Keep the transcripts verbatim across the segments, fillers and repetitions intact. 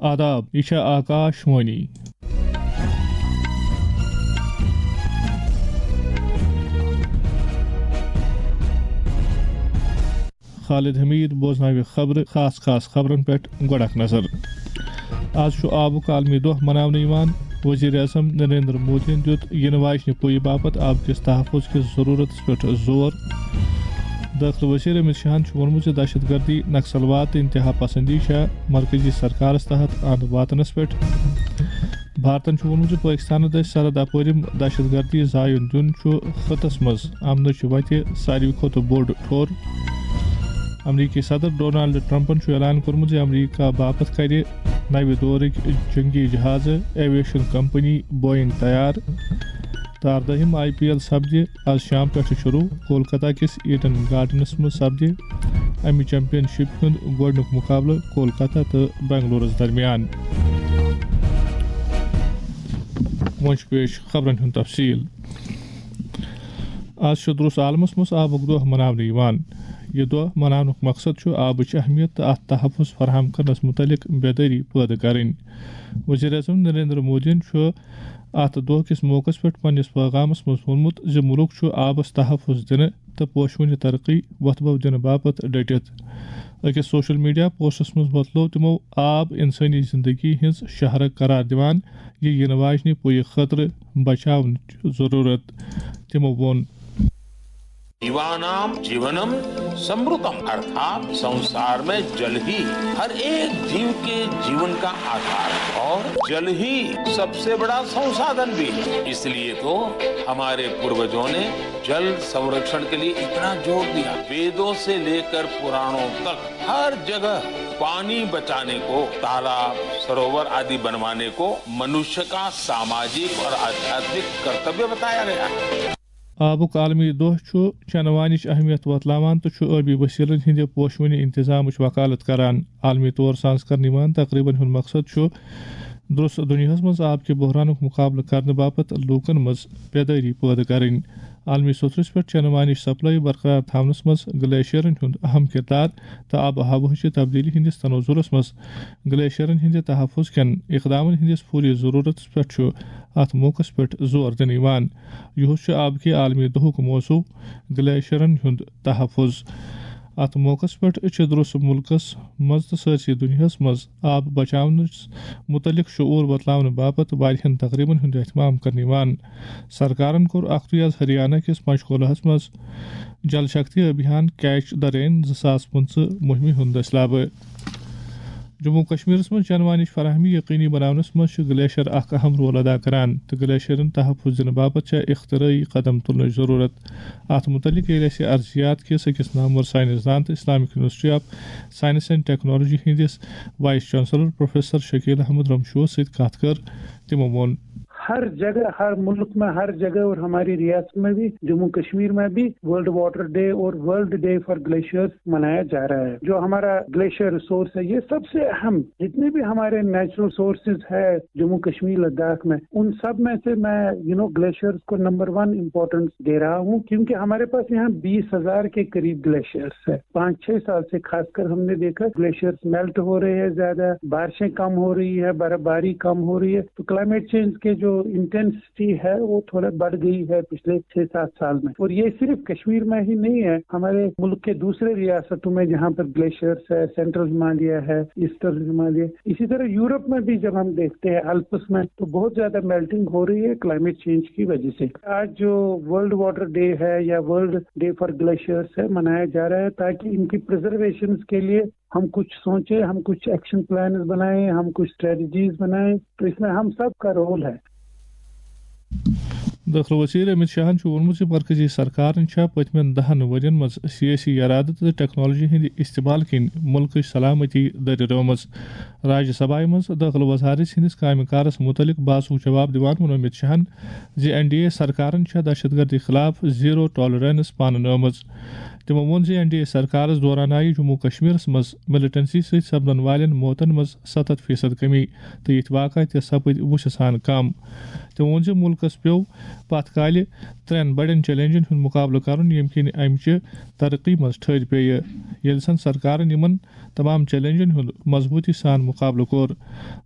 آداب، یہِ چھےٚ آکاش وانی۔ خالد حمید بوزناوِ خبرٕ، خاص خاص خبرن پٮ۪ٹھ گۄڈٕ اکھ نظر۔ آز چھُ آبُک عالمی دۄہ مناونہٕ یِوان۔ وزیر اعظم نریندر مودیَن دیُت یِنہٕ واجنہِ پُیہِ باپتھ آبہٕ کِس تحفظ کِس ضروٗرتس پٮ۪ٹھ زور۔ دٲخلہٕ وزیر امت شاہن چھُ ووٚنمُت زِ دہشت گردی، نکسلواد تہٕ انتہا پسندی چھےٚ مرکزی سرکارس تحت اند واتنس پٮ۪ٹھ۔ بھارتن چھُ ووٚنمُت زِ پٲکستانس دٔسۍ سرحد اپٲرۍ دہشت گردی زایُن دیُن چھُ خطس منٛز امنٕچ وتہِ ساروی کھۄتہٕ بوٚڑ ٹھوٚر۔ امریکی صدر ڈونالڈ ٹرمپن چھُ اعلان کوٚرمُت زِ امریکہ باپتھ کرِ نوِ دورٕکۍ جنگی جہازٕ ایویشن کمپنی بوئنگ تیار۔ تہٕ اردٲہِم آئی پی ایل سپدِ آز شام پٮ۪ٹھٕ شروٗع۔ کولکتہ کِس ایڈن گارڈنس منٛز سپدِ امہِ چیمپین شپ ہُنٛد گۄڈٕنیُک مقابلہٕ کولکتہ تہٕ بنگلورس درمیان۔ وۄنۍ چھُ پیش خبرن ہُنٛد تفصیل۔ آز چھُ درٛوس عالمس منٛز آبُک دۄہ مناونہٕ یِوان۔ یہِ دۄہ مناونُک مقصد چھُ آبٕچ اہمیت تہٕ اتھ تحفظ فراہم کرنس مُتعلق بیدٲری پٲدٕ کرٕنۍ۔ وزیر اعظم نریندر مودیَن چھُ اتھ دۄہ کِس موقعس پٮ۪ٹھ پننِس پیغامس منٛز ووٚنمُت زِ مُلک چھُ آبس تحفظ دِنہٕ تہٕ پوشوٕنہِ ترقی وۄتھٕ بو دِنہٕ باپتھ ڈٔٹِتھ۔ أکِس سوشل میڈیا پوسٹس منٛز وۄتلوو تِمو آب انسٲنی زندگی ہٕنٛز شاہراہ قرار دِوان، یہِ یِنہٕ واجنہِ پُیہِ خٲطرٕ بچاونٕچ ضروٗرت۔ تِمو ووٚن۔ जीवानाम जीवनम समृतम, अर्थात संसार में जल ही हर एक जीव के जीवन का आधार है और जल ही सबसे बड़ा संसाधन भी है। इसलिए तो हमारे पूर्वजों ने जल संरक्षण के लिए इतना जोर दिया। वेदों से लेकर पुराणों तक हर जगह पानी बचाने को, तालाब, सरोवर आदि बनवाने को मनुष्य का सामाजिक और आध्यात्मिक कर्तव्य बताया गया है। آبُک عالمی دۄہ چھُ چنہٕ وانِچ اہمیت وۄتلاوان تہٕ چھُ ٲبی وسیلن ہٕنٛدِ پوشوٕنہِ انتظامٕچ وکالت کران۔ عالمی طور سانٛز کرنہٕ یِوان تقریبن ہُنٛد مقصد چھُ درٛوس دُنیاہس منٛز آب کہِ بحرانُک مقابلہٕ کرنہٕ باپتھ لوٗکن منٛز بیدٲری پٲدٕ کرٕنۍ۔ عالمی سطحس پٮ۪ٹھ چنہٕ وانِچ سپلائی برقرار تھاونس منٛز گلیشیرن ہُنٛد اہم کردار تہٕ آب و ہوہٕچہِ تبدیلی ہٕنٛدِس تناظرس منٛز گلیشیرن ہٕنٛدِ تحفظ کٮ۪ن اقدامن ہٕنٛدِس فوری ضروٗرتس پٮ۪ٹھ چھُ اتھ موقعس پٮ۪ٹھ زور دِنہٕ یِوان۔ یُہُس چھُ آبہٕ کہِ عالمی دۄہُک موضوع، گلیشیرن ہُنٛد تحفظ۔ اتھ موقعس پٮ۪ٹھ چھِ درٛوس مُلکس منٛز تہٕ سٲرسٕے دُنیاہس منٛز آب بچاونس مُتعلق شعوٗر وۄتلاونہٕ باپتھ واریاہن تقریبن ہُنٛد اہتمام کرنہٕ یِوان۔ سرکارن کوٚر اکھتُے آز ہریانہ کِس پنچکولاہس منٛز جل شکتی ابھیان کیچ دی رین زٕ ساس پٕنٛژٕہ مُہمہِ ہُنٛد دٔسلابہٕ۔ جموں و کشمیرس منٛز چنہٕ وانِچ فراہمی یقینی بناونس منٛز چھُ گلیشیر اکھ اہم رول ادا کران تہٕ گلیشیرن تحفظ دِنہٕ باپتھ چھےٚ اختراعی قدم تُلنٕچ ضروٗرت۔ اتھ مُتعلق ییٚلہِ اَسہِ ارضیات کِس أکِس نامور ساینس دان تہٕ Islamic University of Science and Technology ہٕنٛدِس vice chancellor professor Shakeel Ahmad رمشوس سۭتۍ کتھ کٔر، تِمو ووٚن۔ ہر جگہ، ہر ملک میں، ہر جگہ اور ہماری ریاست میں بھی، جموں کشمیر میں بھی ورلڈ واٹر ڈے اور ورلڈ ڈے فار گلیشیئرز منایا جا رہا ہے۔ جو ہمارا گلیشیئر ریسورس ہے، یہ سب سے اہم، جتنے بھی ہمارے نیچرل سورسز ہے جموں کشمیر لداخ میں، ان سب میں سے میں یو نو گلیشیئرز کو نمبر ون امپورٹنس دے رہا ہوں، کیونکہ ہمارے پاس یہاں بیس ہزار کے قریب گلیشیئرز ہے۔ پانچ چھ سال سے خاص کر ہم نے دیکھا گلیشیئرز میلٹ ہو رہے ہیں زیادہ، بارشیں کم ہو رہی ہے، برف باری کم ہو رہی ہے، تو کلائمیٹ چینج کے جو انٹینسٹی ہے وہ تھوڑا بڑھ گئی ہے پچھلے چھ سات سال میں۔ اور یہ صرف کشمیر میں ہی نہیں ہے، ہمارے ملک کے دوسرے ریاستوں میں جہاں پر گلیشیئرز ہے، سینٹرل ہمالیہ ہے، ایسٹرن ہمالیہ، اسی طرح یورپ میں بھی جب ہم دیکھتے ہیں الپس میں تو بہت زیادہ میلٹنگ ہو رہی ہے کلائمیٹ چینج کی وجہ سے۔ آج جو ورلڈ واٹر ڈے ہے یا ورلڈ ڈے فار گلیشیئرز ہے منایا جا رہا ہے تاکہ ان کی پریزرویشن کے لیے ہم کچھ سوچیں، ہم کچھ ایکشن پلانز بنائیں، ہم کچھ اسٹریٹجیز بنائیں، تو اس میں ہم سب کا رول ہے۔ دٲخلہٕ وزیر امت شاہن چھُ ووٚنمُت زِ مرکزی سرکارن چھےٚ پٔتمٮ۪ن دَہن ؤرین منٛز سیٲسی ارادٕ تہٕ ٹیکنالوجی ہٕنٛدِ استعمال کِنۍ مُلکٕچ سلامتی دٔرِرٲومٕژ۔ راجیہ سبھایہ منٛز دٲخلہٕ وزارت سٕنٛدِس کامہِ کارس مُتعلق بحثُک جواب دِوان ووٚن امت شاہن زِ این ڈی اے سرکارن چھےٚ دہشت گردی خلاف زیرو ٹالرنس پانہٕ نٲومٕژ۔ تِمو ووٚن زِ این ڈی اے سرکارس دوران آیہِ جموں کشمیرس منٛز ملیٹنسی سۭتۍ سپدن والٮ۪ن موتن منٛز ستتھ فیصد کمی تہٕ یِتھۍ واقعہ تہِ سپٕدۍ وُچھٕ سان کم۔ تِمو ووٚن زِ مُلکس پیوٚو پتھ کالہِ ترٛٮ۪ن بڑٮ۪ن چیلنجن ہُنٛد مُقابلہٕ کرُن، ییٚمہِ کِنۍ امہِ چہِ ترقی منٛز ٹھٔہر پیٚیہِ۔ ییٚلہِ زن سرکارن یِمن تمام چیلنجن ہُنٛد مضبوٗطی سان مُقابلہٕ کوٚر۔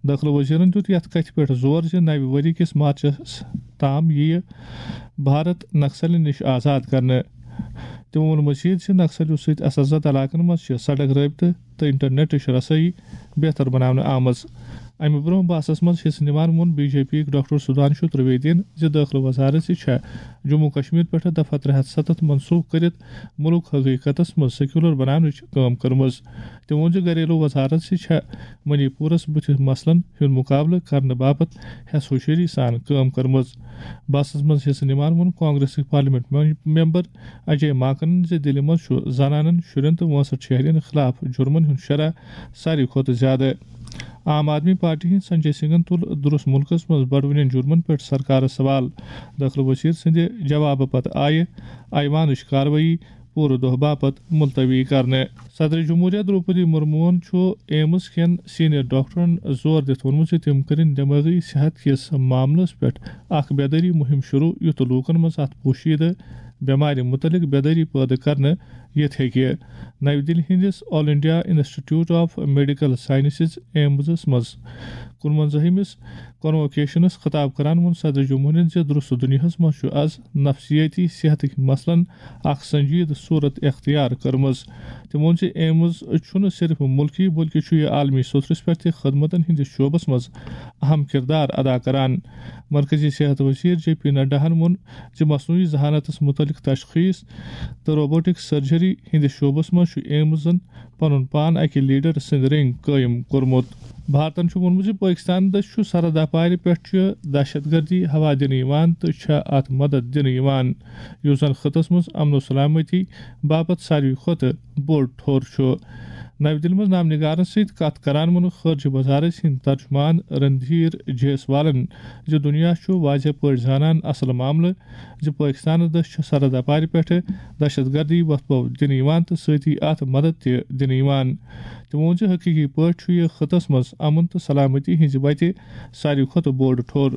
دٲخلہٕ وزیرن دیُت یتھ کتھِ پٮ۪ٹھ زور زِ نوِ ؤری کِس مارچس تام یِیہِ بھارت نکسلن نِش آزاد کرنہٕ۔ تِمو ووٚن مزید زِ نکسلیو سۭتۍ اثر زدٕ علاقن منٛز چھِ سڑک رٲبطہٕ تہٕ انٹرنیٹٕچ رسٲیی بہتر بناونہٕ آمٕژ۔ امہِ برونٛہہ بحثس منٛز حصہٕ نِوان ووٚن بی جے پی یٕکۍ ڈاکٹر سدھانشو ترویدین زِ دٲخلہٕ وزارت تہِ چھےٚ جموں کشمیر پٮ۪ٹھ دفعہ ترٛےٚ ہتھ ستتھ منسوخ کٔرِتھ مُلک حقیقتس منٛز سیکولر بناونٕچ کٲم کٔرمٕژ۔ تٔمۍ ووٚن زِ گھریلو وزارت تہِ چھےٚ منی پورس بُتھِ مسلن ہُنٛد مُقابلہٕ کرنہٕ باپتھ ہٮ۪س ہوشیٲری سان کٲم کٔرمٕژ۔ بحثس منٛز حصہٕ نِوان ووٚن کانگریسٕکۍ پارلیمنٹ مم-، ممبر اجے ماکنن زِ دِلہِ منٛز چھُ زنانن، شُرٮ۪ن تہٕ وٲنٛسٹھ شہرین خلاف جُرمن ہُنٛد شرح ساروی کھۄتہٕ زیادٕ۔ عام آدمی پارٹی ہٕنٛدۍ سنجے سنگھن تُل درست مُلکس منٛز بڑوٕنٮ۪ن جُرمن پٮ۪ٹھ سرکارس سوال۔ دٲخلہٕ وزیر سٕنٛدِ جوابہٕ پتہٕ آیہِ ایوانٕچ کاروٲیی پوٗرٕ دۄہ باپتھ ملتوی کرنہٕ۔ صدر جمہوریہ درٛوپدی مرموہن چھُ ایمز کٮ۪ن سینئر ڈاکٹرن زور دِتھ ووٚنمُت زِ تِم کٔرِن دمٲغی صحت کِس معاملس پٮ۪ٹھ اکھ بیدٲری مُہِم شروع، یُتھ لوٗکن منٛز اتھ پوشیدٕ بٮ۪مارِ مُتعلق بیدٲری پٲدٕ کرنہٕ یِتھ ہیٚکہِ۔ نَوِ دِلہِ ہٕنٛدِس all India institute of medical sciences, ایمزس منٛز کُنوَنزٲہمِس کنووکیشنس خطاب کران ووٚن صدر جمہوریہ زِ درست دُنیاہس منٛز چھُ از نفسیٲتی صحتٕکۍ مسلن اکھ سنجیدٕ صورت اختیار کٔرمٕژ۔ تٔمۍ ووٚن زِ ایمز چھُنہٕ صرف مُلکی بلکہِ چھُ یہِ عالمی سطحس پٮ۪ٹھ تہِ خدمتن ہٕنٛدِس شعبس منٛز اہم کردار ادا کران۔ مرکزی صحت وزیر جے پی نڈاہن ووٚن زِ مصنوعی ذہانتس مُتعلق تشخیص تہٕ روبوٹک سرجری ہٕنٛدِس شعبس منٛز چھُ ایمزن پنُن پان اکہِ لیڈر سٕنٛدِ رٔنگۍ قٲیِم کوٚرمُت۔ بھارتن چھُ ووٚنمُت زِ پٲکستان دٔسۍ چھُ سرحد اپارِ پٮ۪ٹھ چھُ دہشت گردی ہوا دِنہٕ یِوان تہٕ چھےٚ اتھ مدد دِنہٕ یِوان، یُس زن خطس منٛز امن و سلامتی باپتھ ساروی کھۄتہٕ بوٚڑ ٹھوٚر چھُ۔ نَوِ دِلہِ منٛز نامنگارن سۭتۍ کتھ کران ووٚن خارجہ وزارت ہٕنٛدۍ ترجمان رندھیر جیسوالن زِ دُنیا چھُ واضح پٲٹھۍ زانان اصل معاملہٕ زِ پٲکستانس دٔسۍ چھِ سرحد اپارِ پٮ۪ٹھٕ دہشت گردی وۄتھٕ بو دِنہٕ یِوان تہٕ سۭتی اتھ مدد تہِ دِنہٕ یِوان۔ تٔمۍ ووٚن زِ حقیقی پٲٹھۍ چھُ یہِ خطس منٛز امن تہٕ سلامتی ہٕنٛزِ وتہِ ساروی کھۄتہٕ بوٚڑ ٹھوٚر۔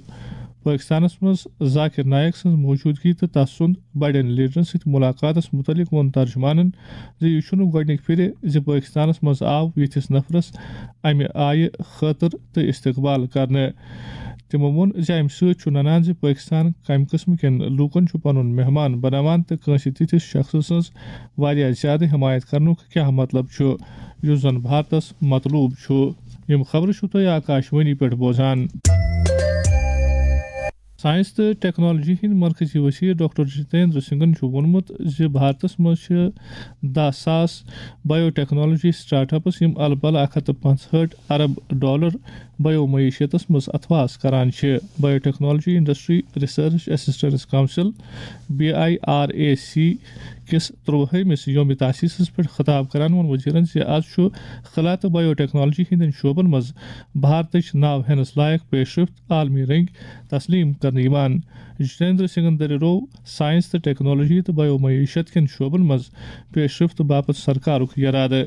پٲکستانس منٛز ذاکر نائیک سٕنٛز موجودگی تہٕ تس سُنٛد بڑٮ۪ن لیڈرن سۭتۍ ملاقاتس مُتعلق ووٚن ترجمانن زِ یہِ چھُنہٕ گۄڈٕنِکۍ پھِرِ زِ پٲکستانس منٛز آو یِتھِس نفرس امہِ آیہِ خٲطرٕ تہٕ استقبال کرنہٕ۔ تِمو ووٚن زِ امہِ سۭتۍ چھُ ننان زِ پٲکستان کمہِ قٕسمہٕ کٮ۪ن لوٗکن چھُ پنُن مہمان بناوان تہٕ کٲنٛسہِ تِتھِس شخصہٕ سٕنٛز واریاہ زیادٕ حمایت کرنُک کیٛاہ مطلب چھُ، یُس زن بھارتس مطلوب چھُ۔ یِم خبرٕ چھِو تُہۍ آکاشوانی پٮ۪ٹھ بوزان۔ ساینس تہٕ ٹیکنالوجی ہٕنٛدۍ مرکزی وزیر ڈاکٹر جتیندر سنگھن چھُ ووٚنمُت زِ بھارتس منٛز چھِ دَہ ساس بایو ٹیکنالوجی سٹارٹ اپس، یِم الہٕ پلہٕ اکھ ہتھ تہٕ پانٛژہٲٹھ ارب ڈالر بایو معیشتس منٛز اتھواس کران چھِ۔ Biotechnology industry research assistance council, B I R A C, کِس ترٛوہٲیمِس یوم تاسیسس پٮ۪ٹھ خطاب کران ووٚن وزیرن زِ از چھُ خلا تہٕ بایو ٹیکنالوجی ہٕنٛدٮ۪ن شعبن منٛز بھارتٕچ ناو ہٮ۪نس لایق پیش رفت عالمی رٔنگۍ تسلیم کرنہٕ یِوان۔ جتیندر سنگھن دٔریروو ساینس تہٕ ٹیکنالوجی تہٕ بایو معیشت کٮ۪ن شعبن منٛز پیش رفت باپتھ سرکارُک یرادٕ۔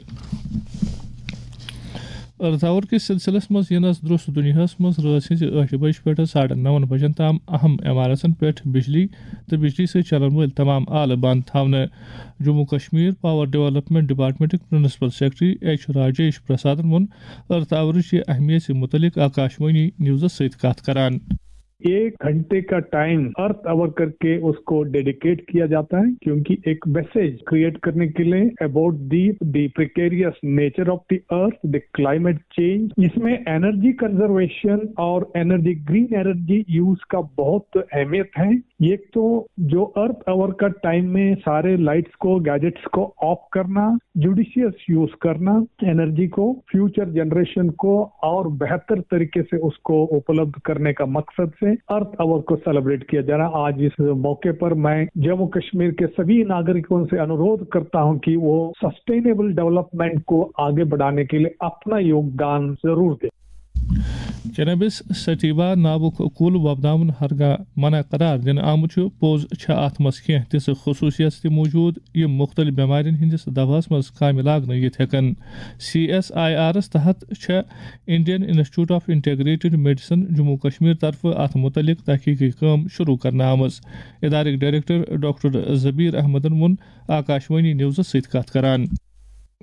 ارتھ آور کِس سلسلس منٛز یِنس درست دُنیاہس منٛز رٲژ ہٕنٛزِ ٲٹھِ بجہِ پٮ۪ٹھ ساڑٕ نَون بجن تام اہم عمارژن پٮ۪ٹھ بجلی تہٕ بجلی سۭتۍ چلن وٲلۍ تمام آلہٕ بند تھاونہٕ۔ جموں کشمیر پاور ڈیولپمنٹ ڈپارٹمنٹٕکۍ پرنسپل سیکرٹری ایچ راجیش پرسادن ووٚن ارتھ آورٕچ یہِ اہمیت مُتعلق آکاشوانی نیوزس سۭتۍ کتھ کران۔ ایک گھنٹے کا ٹائم ارتھ آور کر کے اس کو ڈیڈیکیٹ کیا جاتا ہے، کیونکہ ایک میسج کریئٹ کرنے کے لیے about the the precarious nature of the earth, the climate change, اس میں انرجی کنزرویشن اور انرجی، گرین انرجی یوز کا بہت اہمیت ہے۔ ایک تو جو ارتھ آور کا ٹائم میں سارے لائٹس کو، گیجٹس کو آف کرنا، جوڈیشیس یوز کرنا، انرجی کو فیوچر جنریشن کو اور بہتر طریقے سے اس کو اپلبدھ کرنے کا مقصد سے ارتھ آور کو سیلیبریٹ کیا جا رہا ہے۔ آج اس موقع پر میں جموں کشمیر کے سبھی ناگرکوں سے انورودھ کرتا ہوں کہ وہ سسٹینیبل ڈیولپمنٹ کو آگے بڑھانے کے لیے اپنا یوگدان ضرور دیں۔ کینابس سٹیوا ناوُک کُل وۄپداوُن ہرگاہ منع قرار دِنہٕ آمُت چھُ، پوٚز چھےٚ اَتھ منٛز کینٛہہ تِژھٕ خصوٗصیژٕ تہِ موجود، یِم مُختٔلِف بٮ۪مارٮ۪ن ہٕنٛدِس دوہَس منٛز کامہِ لاگنہٕ یِتھ ہٮ۪کَن۔ سی ایس آئی آرَس تحت چھےٚ Indian institute of integrated medicine Jammu Kashmir طرفہٕ اَتھ مُتعلِق تحقیٖقی کٲم شروٗع کرنہٕ آمٕژ۔ ادارٕکۍ ڈائریکٹر ڈاکٹر زبیر احمدن ووٚن آکاشوانی نیوزس سۭتۍ کتھ کران۔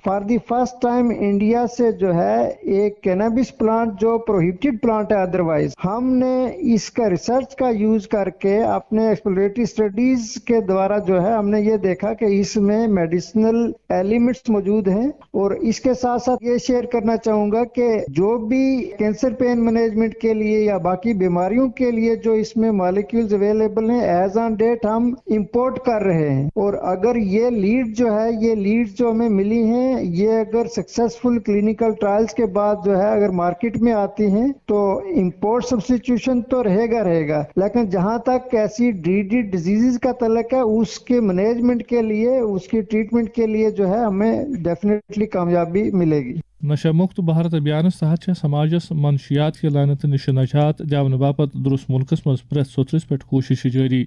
For the first time India سے جو ہے ایک کینابس پلانٹ جو پروہیبٹڈ پلانٹ ہے، ادروائز ہم نے اس کا ریسرچ کا یوز کر کے اپنے ایکسپلوریٹری اسٹڈیز کے دوارا جو ہے ہم نے یہ دیکھا کہ اس میں میڈیسنل ایلیمنٹس موجود ہیں۔ اور اس کے ساتھ ساتھ یہ شیئر کرنا چاہوں گا کہ جو بھی کینسر پین مینجمنٹ کے لیے یا باقی بیماریوں کے لیے جو اس میں مالیکیولز اویلیبل ہیں، ایز آن ڈیٹ ہم امپورٹ کر رہے ہیں۔ اور اگر یہ لیڈ جو ہے، یہ لیڈ جو ہمیں ملی ہیں، یہ اگر سکسیسفل کلینیکل ٹرائلز کے بعد جو ہے اگر مارکیٹ میں آتی ہیں تو امپورٹ سبسٹیٹیوشن تو رہے گا رہے گا، لیکن جہاں تک ایسی ڈریڈڈ ڈیزیزز کا تعلق ہے، اس کے مینجمنٹ کے لیے، اس کی ٹریٹمنٹ کے لیے جو ہے ہمیں ڈیفینیٹلی کامیابی ملے گی۔ نشہ مکت بھارت ابھیانس تحت چھےٚ سماجس منشیات کہِ لعنتہٕ نِشہٕ نجات دِنہٕ باپتھ درست مُلکس منٛز پرٛٮ۪تھ سوٚترِس پٮ۪ٹھ کوٗششہٕ جٲری۔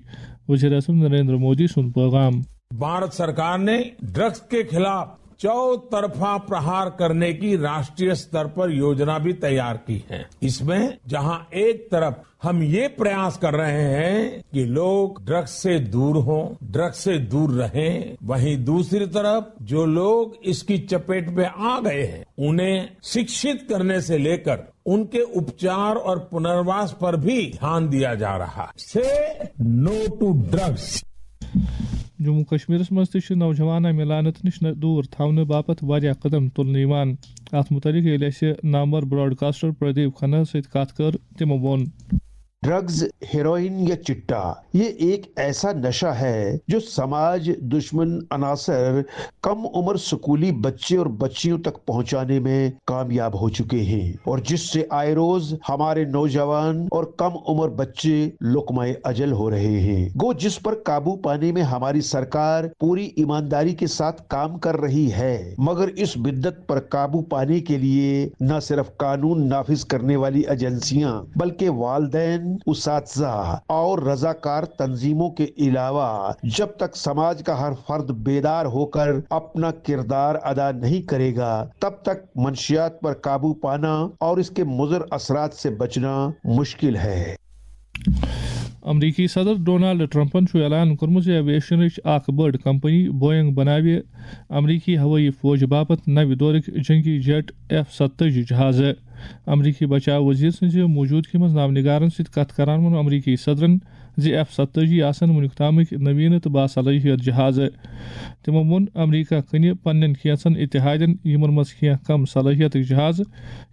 وزیر اعظم نریندر مودی سُنٛد پیغام۔ भारत सरकार ने ड्रग्स के खिलाफ चौतरफा प्रहार करने की राष्ट्रीय स्तर पर योजना भी तैयार की है। इसमें जहां एक तरफ हम ये प्रयास कर रहे हैं कि लोग ड्रग्स से दूर हों, ड्रग्स से दूर रहें, वहीं दूसरी तरफ जो लोग इसकी चपेट में आ गए हैं, उन्हें शिक्षित करने से लेकर उनके उपचार और पुनर्वास पर भी ध्यान दिया जा रहा है। से नो टू ड्रग्स। جموں کشمیرس منٛز تہِ چھِ نوجوان امہِ لعنت نِش نہ-، دوٗر تھاونہٕ باپتھ واریاہ قدم تُلنہٕ یِوان۔ اتھ مُتعلِق ییٚلہِ اَسہِ نامور براڈکاسٹر پردیپ کھنہ سۭتۍ کتھ کٔر، تِمو ووٚن۔ ڈرگز، ہیروئن یا چٹا، یہ ایک ایسا نشہ ہے جو سماج دشمن عناصر کم عمر سکولی بچے اور بچیوں تک پہنچانے میں کامیاب ہو چکے ہیں اور جس سے آئے روز ہمارے نوجوان اور کم عمر بچے لقمہ اجل ہو رہے ہیں۔ گو جس پر قابو پانے میں ہماری سرکار پوری ایمانداری کے ساتھ کام کر رہی ہے، مگر اس بدت پر قابو پانے کے لیے نہ صرف قانون نافذ کرنے والی ایجنسیاں بلکہ والدین، اساتذہ اور رضاکار تنظیموں کے علاوہ جب تک سماج کا ہر فرد بیدار ہو کر اپنا کردار ادا نہیں کرے گا، تب تک منشیات پر قابو پانا اور اس کے مضر اثرات سے بچنا مشکل ہے۔ امریکی صدر ڈونالڈ ٹرمپن چھُ اعلان کوٚرمُت زِ ایویشنٕچ اکھ بٔڑ کمپنی بوئنگ بناوِ امریکی ہوٲیی فوج باپتھ نوِ دورٕکۍ جنگی جیٹ ایف ستٲجی جہازٕ۔ امریکی بچاو وزیر سٕنٛزِ موجودگی منٛز نامنگارن سۭتۍ کتھ کران ووٚن امریکی صدرن زِ ایف ستٲجی آسن وُنیُک تامٕکۍ نویٖنہٕ تہٕ باصلٲحیت جہازٕ۔ تِمو ووٚن امریکہ کٕنہِ پننٮ۪ن کینٛژن اتحادن، یِمن منٛز کینٛہہ کم صلٲحیتٕکۍ جہازٕ۔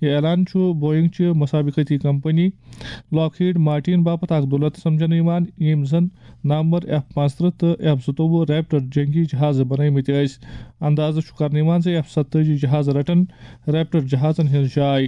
یہِ اعلان چھُ بوئنگ چہِ مسابقتی کمپنی لاکہیڈ مارٹین باپتھ اکھ دولت سمجھنہٕ یِوان، ییٚمۍ زن نامور ایف پانٛژترٕہ تہٕ ایف زٕتووُہ ریپٹر جنگی جہازٕ بنٲومٕتۍ ٲسۍ۔ اندازٕ چھُ کرنہٕ یِوان زِ ایف ستٲجی جہازٕ رٹن ریپٹر جہازن ہٕنٛز جاے۔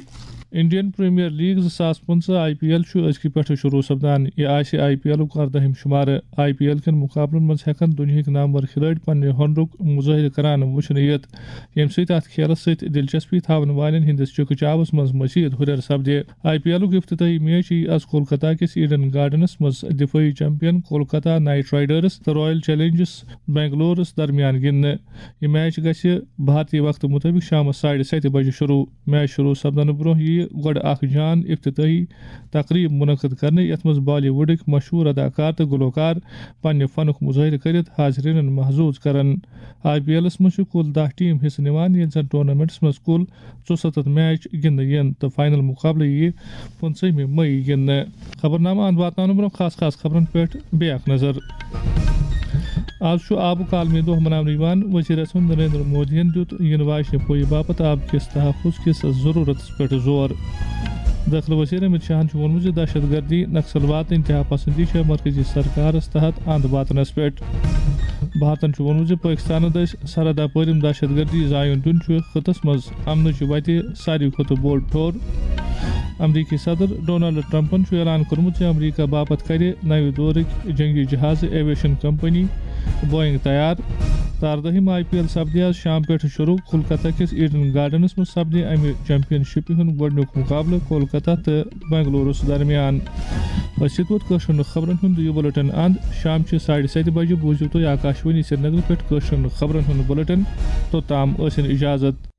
انڈین پریمیئر لیگ زٕ ساس پٕنٛژٕہ آئی پی ایل چھُ أزکہِ پٮ۪ٹھٕ شروع سپدان۔ یہِ آسہِ آئی پی ایلُک ارداہِم شمارٕ۔ آئی پی ایل کٮ۪ن مقابلن منٛز ہٮ۪کن دُنیہٕکۍ نامور کھلٲڑۍ پننہِ ہُنرُک مظٲہرٕ کران وُچھنہٕ یِتھ، ییٚمہِ سۭتۍ اتھ کھیلس سۭتۍ دلچسپی تھاون والٮ۪ن ہٕنٛدِس چکہٕ چاوس منٛز مزید ہُرٮ۪ر سپدِ۔ آئی پی ایلُک افتتاحی میچ یِیہِ از کولکتہ کِس ایڈن گارڈنس منٛز دفٲعی چیمپین کولکتہ نائٹ رائیڈرز تہٕ رائل چیلنجرز بنگلورس درمیان گِنٛدنہٕ۔ یہِ میچ گژھِ بھارتی وقتہٕ مُطٲبِق شامَس ساڑِ ستہِ بجہِ شروع۔ میچ شروع سپدنہٕ برٛونٛہہ یِیہِ گۄڈٕ اکھ جان افتتاحی تقریب منعقد کرنہٕ، یَتھ منٛز بالی وُڈٕکۍ مشہوٗر اداکار تہٕ گلوکار پننہِ فنُک مظٲہرٕ کٔرِتھ حاضریٖنَن محظوٗظ کرن۔ آئی پی ایلَس منٛز چھِ کُل دَہ ٹیٖم حصہٕ نِوان، ییٚلہِ زَن ٹورنامنٹَس منٛز کُل ژُسَتَتھ میچ گِنٛدنہٕ یِن تہٕ فائنل مقابلہٕ یِیہِ پٕنٛژٕہمہِ مئی گِنٛدنہٕ۔ خبرنامہٕ اند واتناونہٕ برٛونٛہہ خاص خاص خبرن پٮ۪ٹھ بیٚیہِ اکھ نظر۔ آز چھُ آبُک عالمی دۄہ مناونہٕ یِوان۔ وزیر اعظم نریندر مودیَن دیُت یِنہٕ واجنہِ پُیہِ باپتھ آب کِس تحفظ کِس ضروٗرتَس پٮ۪ٹھ زور۔ دٲخلہٕ وزیر امت شاہَن چھُ ووٚنمُت زِ دہشت گردی، نکسلواد تہٕ انتہا پسندی چھےٚ مرکزی سرکارَس تحت اند واتنَس پٮ۪ٹھ۔ بھارتَن چھُ ووٚنمُت زِ پٲکِستانَس دٔسۍ سرحد اپٲرِم دہشت گردی زایُن دیُن چھُ خطس منٛز امنٕچ وتہِ ساروی کھۄتہٕ بوٚڑ ٹھوٚر۔ امریکی صدر ڈونالڈ ٹرمپن چھُ اعلان کوٚرمُت زِ امریکہ باپتھ کرِ نوِ دورٕکۍ جنگی جہازٕ ایویشن کمپنی بوئنگ تیار۔ ترٕہ ہِم آئی پی ایل سپدِ آز شام پٮ۪ٹھ شروع۔ کولکتہ کِس ایڈن گارڈنس منٛز سپدِ امہِ چیمپین شپہِ ہُنٛد گۄڈٕنیُک مقابلہٕ کولکتہ تہٕ بنگلورس درمیان۔ أسۍ یِتھ پٲٹھۍ کٲشرٮ۪ن خبرن ہُنٛد یہِ بُلٹن اند۔ شام چہِ ساڑِ ستہِ بجہِ بوٗزِو تُہۍ آکاشوانی سرینگر پٮ۪ٹھ کٲشرٮ۪ن خبرن ہُنٛد بُلٹن۔ توٚتام ٲسِن اجازت۔